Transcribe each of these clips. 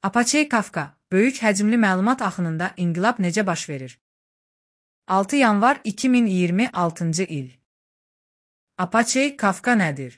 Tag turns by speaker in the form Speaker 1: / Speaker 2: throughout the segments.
Speaker 1: Apache Kafka, böyük həcmli məlumat axınında inqilab necə baş verir? 6 yanvar 2026-cı il. Apache Kafka nədir?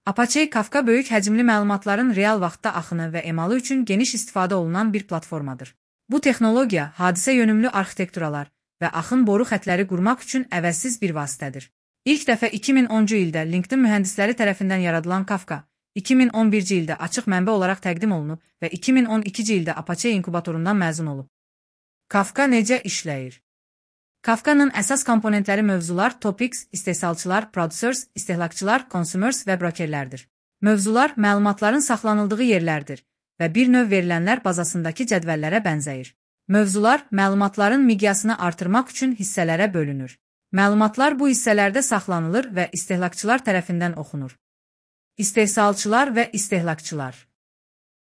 Speaker 1: Apache Kafka böyük həcmli məlumatların real vaxtda axını və emalı üçün geniş istifadə olunan bir platformadır. Bu texnologiya hadisə yönümlü arxitekturalar və axın boru xətləri qurmaq üçün əvəzsiz bir vasitədir. İlk dəfə 2010-cu ildə LinkedIn mühəndisləri tərəfindən yaradılan Kafka, 2011-ci ildə açıq mənbə olaraq təqdim olunub və 2012-ci ildə Apache inkubatorundan məzun olub. Kafka necə işləyir? Kafkanın əsas komponentləri mövzular, topics, istehsalçılar, producers, istehlakçılar, consumers və brokerlərdir. Mövzular məlumatların saxlanıldığı yerlərdir və bir növ verilənlər bazasındakı cədvəllərə bənzəyir. Mövzular məlumatların miqyasını artırmaq üçün hissələrə bölünür. Məlumatlar bu hissələrdə saxlanılır və istehlakçılar tərəfindən oxunur. İstehsalçılar və istehlakçılar.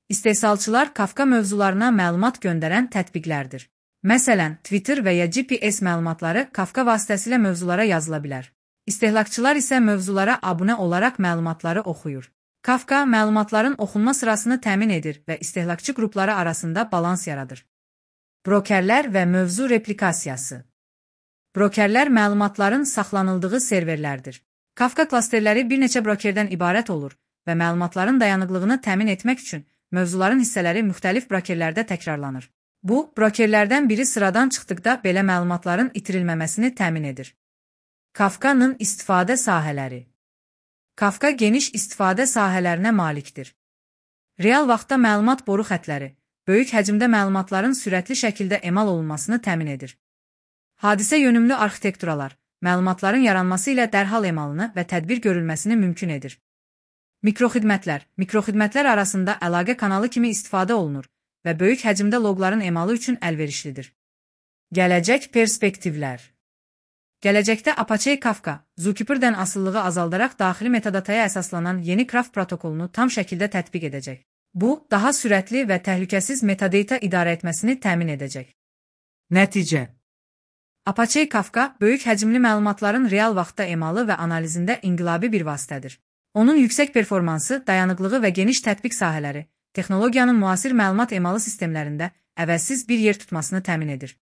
Speaker 1: İstehsalçılar Kafka mövzularına məlumat göndərən tətbiqlərdir. Məsələn, Twitter və ya GPS məlumatları Kafka vasitəsilə mövzulara yazıla bilər. İstehlakçılar isə mövzulara abunə olaraq məlumatları oxuyur. Kafka məlumatların oxunma sırasını təmin edir və istehlakçı qrupları arasında balans yaradır. Brokerlər və mövzu replikasiyası. Brokerlər məlumatların saxlanıldığı serverlərdir. Kafka klasterləri bir neçə brokerdən ibarət olur və məlumatların dayanıqlığını təmin etmək üçün mövzuların hissələri müxtəlif brokerlərdə təkrarlanır. Bu, brokerlərdən biri sıradan çıxdıqda belə məlumatların itirilməməsini təmin edir. Kafkanın istifadə sahələri. Kafka geniş istifadə sahələrinə malikdir. Real vaxtda məlumat boru xətləri, böyük həcmdə məlumatların sürətli şəkildə emal olunmasını təmin edir. Hadisə yönümlü arxitekturalar, məlumatların yaranması ilə dərhal emalını və tədbir görülməsini mümkün edir. Mikroxidmətlər arasında əlaqə kanalı kimi istifadə olunur və böyük həcmdə loqların emalı üçün əlverişlidir. Gələcək perspektivlər. Gələcəkdə Apache Kafka, Zookeeper'dən asılılığı azaldaraq daxili metadataya əsaslanan yeni Craft protokolunu tam şəkildə tətbiq edəcək. Bu, daha sürətli və təhlükəsiz metadata idarə etməsini təmin edəcək. Nəticə. Apache Kafka, böyük həcmli məlumatların real vaxtda emalı və analizində inqilabi bir vasitədir. Onun yüksək performansı, dayanıqlığı və geniş tətbiq sahələri, texnologiyanın müasir məlumat emalı sistemlərində əvəzsiz bir yer tutmasını təmin edir.